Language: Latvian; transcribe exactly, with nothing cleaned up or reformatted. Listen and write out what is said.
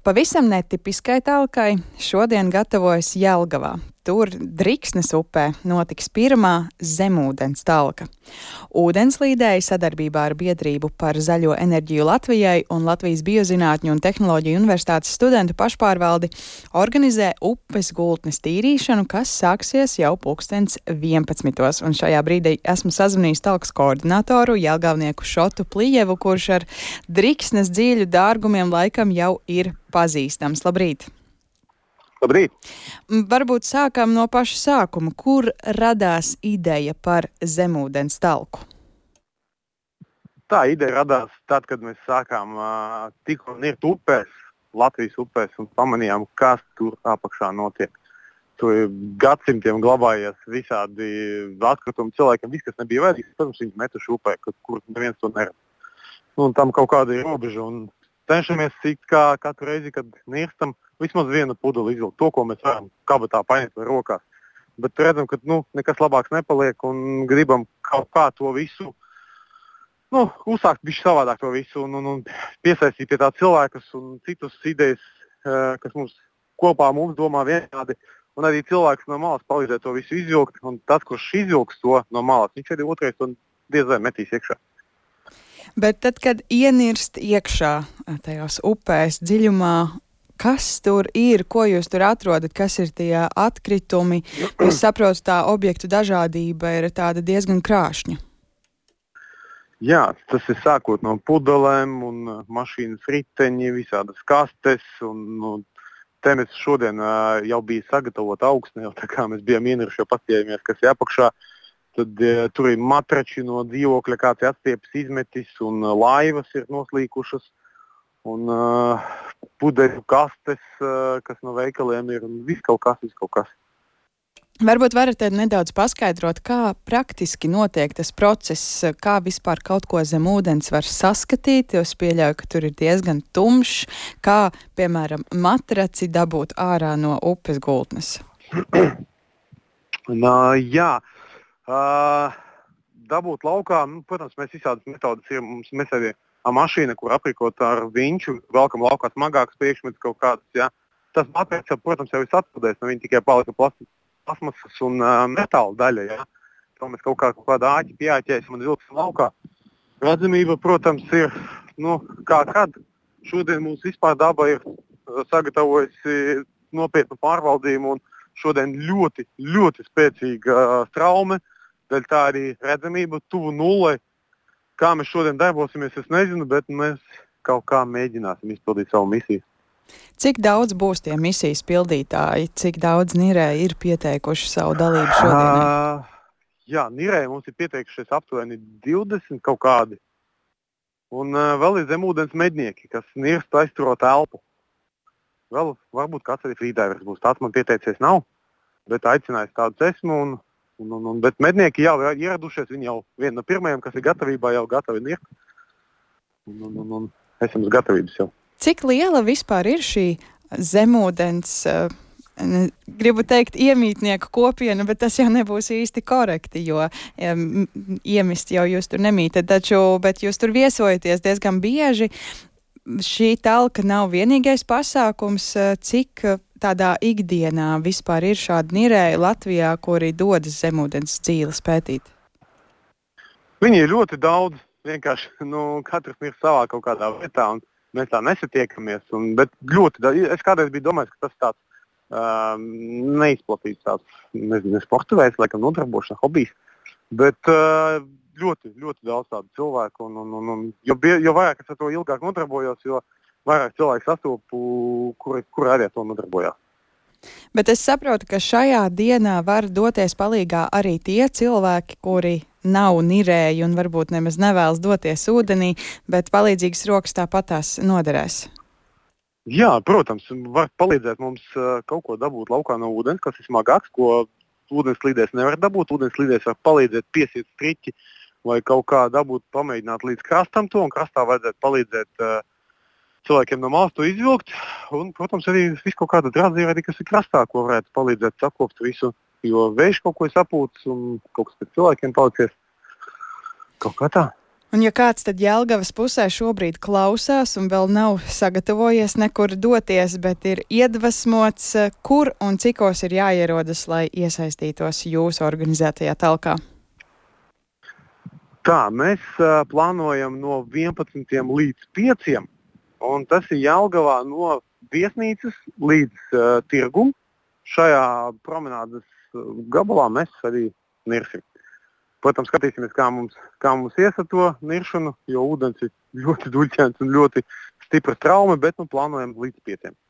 Pavisam netipiskai talkai šodien gatavojas Jelgavā. Tur Driksnes upē notiks pirmā zemūdens talka. Ūdenslīdēji sadarbībā ar biedrību par zaļo enerģiju Latvijai un Latvijas Biozinātņu un tehnoloģiju universitātes studentu pašpārvaldi organizē upes gultnes tīrīšanu, kas sāksies jau pulkstens vienpadsmitos. Un šajā brīdī esmu sazvanījis talkas koordinatoru Jelgavnieku Šotu Plijevu, kurš ar Driksnes dziļu dārgumiem laikam jau ir pazīstams. Labrīt! Labrīt! Varbūt sākam no paša sākuma. Kur radās ideja par zemūdens talku? Tā ideja radās tad, kad mēs sākām uh, tikko nirt upēs, Latvijas upēs, un pamanījām, kas tur apakšā notiek. Tur gadsimtiem glabājies visādi atkritumi cilvēkiem, viss, kas nebija vajadzīgs, protams, viņi metuši upē, kur, kur neviens to neredz. Un tam kaut kāda ir robeža, un cenšamies cik kā katru reizi, kad nirstam, vismaz vienu pudeli izvilkt, to, ko mēs varam kabatā paņemt vai rokās. Bet redzam, ka nu, nekas labāks nepaliek un gribam kaut kā to visu, nu, uzsākt bišķi savādāk to visu un, un, un piesaistīt pie tā cilvēkus un citus idejas, kas mums kopā mums domā vienādi. Un arī cilvēks no malas palīdzēt to visu izvilkt, un tas, kurš izvilks to no malas, viņš arī otrais un diez vai metīs iekšā. Bet tad, kad ienirst iekšā tajās upēs dziļumā, kas tur ir, ko jūs tur atrodat, kas ir tie atkritumi? Es saprotu, tā objektu dažādība ir tāda diezgan krāšņa. Jā, tas ir sākot no pudelēm un mašīnas riteņi, visādas kastes. Un, nu, te mēs šodien uh, jau bija sagatavota augsne, jau tā kā mēs bijām ieniruši, jau paskatījāmies, kas ir apakšā. Tad uh, tur ir matrači no dzīvokļa, kāds ir atstiepis izmetis, un uh, laivas ir noslīkušas. Un uh, pudeļu kastes, uh, kas no veikaliem ir, un viss kaut kas, viss kaut kas. Varbūt varat nedaudz paskaidrot, kā praktiski notiek tas process, kā vispār kaut ko zem ūdens var saskatīt, jo es pieļauju, ka tur ir diezgan tumšs, kā, piemēram, matraci dabūt ārā no upes gultnes. Nā, jā, uh, dabūt laukā, nu, protams, mēs visādas metodas ir, mums mēs arī mašīna, kur aprīkot ar viņču, velkam laukā smagākas priekšmetus kaut kādas, jā. Tas matracis, protams, jau ir atpildējis, no viņa tikai palika plasmasas un uh, metāla daļa, jā. To mēs kaut kā kaut kādā āķi pieāķēsim un vilksim laukā. Redzamība, protams, ir, nu, kā kad. Šodien mums vispār daba ir sagatavojusi nopietnu pārvaldījumu un šodien ļoti, ļoti spēcīga uh, traume, daļ tā arī redzamība tuvu nullei. Kā mēs šodien darbosimies, es nezinu, bet mēs kaut kā mēģināsim izpildīt savu misiju. Cik daudz būs tie misijas pildītāji? Cik daudz nirēji ir pieteikuši savu dalību šodienai? Uh, jā, nirēji mums ir pieteikušies aptuveni divdesmit kaut kādi. Un uh, vēl ir zemūdens mednieki, kas nirst aizturot elpu. Vēl varbūt kāds arī frīdāvers būs. Tāds man pieteicies nav, bet aicinājis tādu esmu. Un Un, un, un, bet mednieki jau ir ieradušies, viņi jau viena no pirmajiem, kas ir gatavībā, jau gatavi nirt. Un, un, un, un esam uz gatavības jau. Cik liela vispār ir šī zemūdens, uh, gribu teikt, iemītnieku kopiena, bet tas jau nebūs īsti korekti, jo um, iemist jau jūs tur nemītat, taču, bet jūs tur viesojaties diezgan bieži. Šī talka nav vienīgais pasākums, cik tādā ikdienā vispār ir šādi nirēji Latvijā, kuri dodas zemūdens dzīles pētīt? Viņi ir ļoti daudz, vienkārši, nu, katrs ir savā kaut kādā vietā, un mēs tā nesatiekamies, un, bet ļoti daudz, es kādreiz biju domājis, ka tas tāds uh, neizplatīts tāds, nezinu, sporta veids, laikam nodarbošanās, hobijs, bet uh, ļoti, ļoti daudz tādu cilvēku, un, un, un, un jo, jo vairāk es ar to ilgāk nodarbojos, jo vairāk cilvēku sastopu, kuri, kuri arī ar to nodarbojās. Bet es saprotu, ka šajā dienā var doties palīgā arī tie cilvēki, kuri nav nirēji un varbūt nemaz nevēlas doties ūdenī, bet palīdzīgas rokas tāpatās noderēs. Jā, protams, var palīdzēt mums kaut ko dabūt laukā no ūdens, kas ir smagāks, ko ūdenslīdēs nevar dabūt. Ūdenslīdēs var palīdzēt piesiet striķi vai kaut kā dabūt, pamēģināt līdz krastam to, un krastā vajadzētu palīdzēt uh, cilvēkiem no malas to izvilkt, un, protams, arī visu kaut kāda drazīva, kas ir krastā, ko varētu palīdzēt sakopt visu, jo vējš kaut ko ir sapūts, un kaut kas pēc cilvēkiem palicies. Kaut kā tā. Un ja kāds tad Jelgavas pusē šobrīd klausās un vēl nav sagatavojies nekur doties, bet ir iedvesmots, kur un cikos ir jāierodas, lai iesaistītos jūsu organizētajā talkā? Tā, mēs uh, plānojam no vienpadsmitiem līdz pieciem, un tas ir Jelgavā no viesnīcas līdz uh, tirgum. Šajā promenādes gabalā mēs arī nirsim. Protams, skatīsimies, kā mums, kā mums ies ar to niršanu, jo ūdens ir ļoti duļķēns un ļoti stipra trauma, bet nu plānojam līdz pieciem.